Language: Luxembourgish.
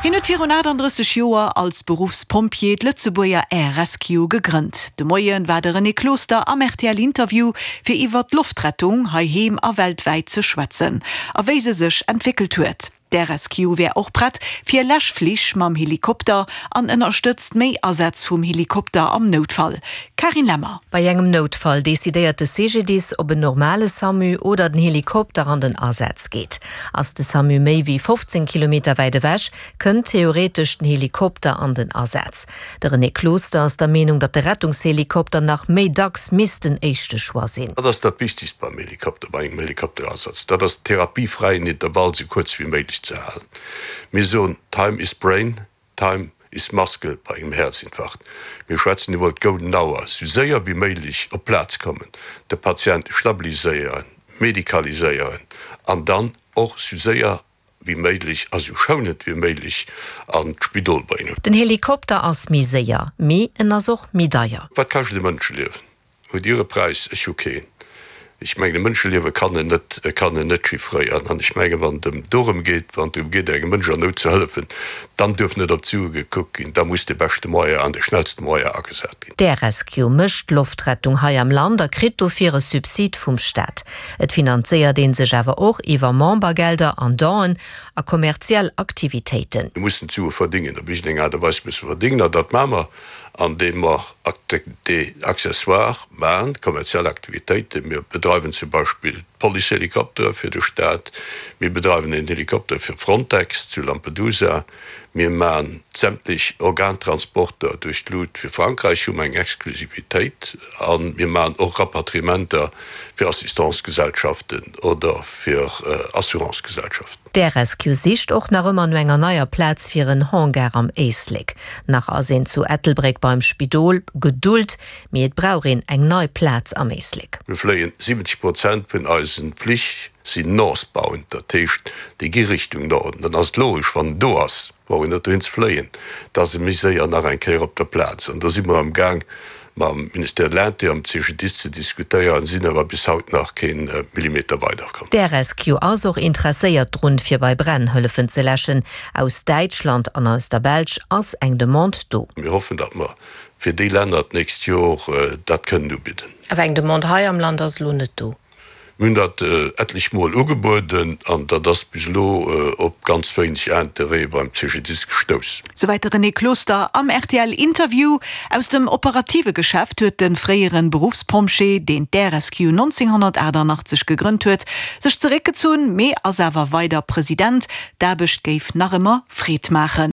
Hien huet virun 38 Joer als Beruffspompjee d'Lëtzebuerger Air Rescue gegrënnt. De Moie war de René Closter am rtl Interview fir iwwer d'Loftrettung heiheem a weltwäit ze schwätzen a wéi se sech entwéckelt huet. D'Air Rescue wär och prett fir Läschflich mam Helikopter an ënnerstëtzt méi Asätz vum Helikopter am Noutfall. Carine Lemmer. Bei engem Noutfall decidéiert de CGDIS, ob en normale SAMU oder den Helikopter an den Asaz geet. Ass de SAMU méi wéi 15 Kilometer wäit ewech, kënnt theoretesch den Helikopter an den Asaz. De René Closter ass der Meenung, datt de Rettungshelikopter nach méi dacks misst den éischte Choix sinn. Wat ass dat Wichtegst beim Helikopter, bei engem Helikopterasaz? Dat ass den therapiefräien Intervall sou kuerz wéi méiglech ze halen. Mir soen, Time is brain, time is muscle bei engem Häerzinfarkt. Mir schwätzen iwwer d'Golden Hour, sou séier wéi méiglech op d'Plaz kommen, de Patient stabiliséieren, medikaliséieren an dann och sou séier wéi méiglech a sou schounend wéi méiglech an d'Spidol bréngen. Den Helikopter ass méi séier, mee en ass och méi deier. Wat kascht e Mënscheliewen? Hutt Dir e Präis? Ech hu keen. Ech mengen, e Mënscheliewe kann een net, kann een net chiffréieren. An ech mengen, wann et ëm dorëm geet, wann et drëm geet, engem Mënsch an Nout ze hëllefen, dann duerf net op d'Sue gekuckt ginn, da muss de beschte Moyen an de schnellste Moyen agesat ginn. D'Air Rescue mécht d'Loftrettung hei am Land a kritt dofir e Subsid vum Staat. Et finanzéiert ee sech awer och iwwer Membergelder an Donen a kommerziell Aktivitéiten. Mir mussen d'Sue verdingen, op iergendeng Aart a Weis musse mer verdingen, an dat maache mer, andeem mer Activités accessoires maachen, kommerziell Aktivitéiten. Mir bedreiwen zum Beispill d'Policehelikoptere fir de Staat, mir bedreiwen een Helikopter fir Frontex zu Lampedusa, Mir maan sämtlech Organtransporter duerch d'Lut fir Frankräich, hu mer eng Exklusivitéit, a mir maan och Rapatriementer fir Assistancegesellschaften oder fir Assurancegesellschaften. D'Air Rescue sicht och nach ëmmer no enger neier Plaz fir en Hangar am Éislek. Nach ass een zu Ettelbréck beim Spidol. Geduld, mee et brauch een eng nei Plaz am Éislek. Mir fléien 70 Prozent vun eisen Flich sinn northbound, dat heescht déi gi Richtung Norden. Dann ass et logesch, wann en do ass, brauch een net dohin ze fléien, da ass e méi séier nach eng Kéier op der Plaz. An do si mer am Gaang mam Ministère de l'Intérieur, mam CGDIS ze diskutéieren, sinn awer bis haut nach kee Millimeter weiderkomm. D'Air-Rescue ass och interesséiert drun, fir bei Bränn hëllefen ze läschen. Aus Däitschland an aus der Belsch ass eng Demande do. Mir hoffen, datt mer fir déi Länner d'nächst Jor dat kënnen ubidden. Awer eng Demande hei am Land ass elo net do. Mir hunn dat etlech Mol ugebueden an dat ass bis elo op ganz wéineg Interêt beim CGDIS gestouss. Souwäit de René Closter am RTL-Interview. Aus dem operative Geschäft huet de fréiere Beruffspompjee, deen d'Air Rescue 1988 gegrënnt huet, sech zeréckgezunn, mee ass awer weider President. D'Aarbecht géif nach ëmmer Freed maachen.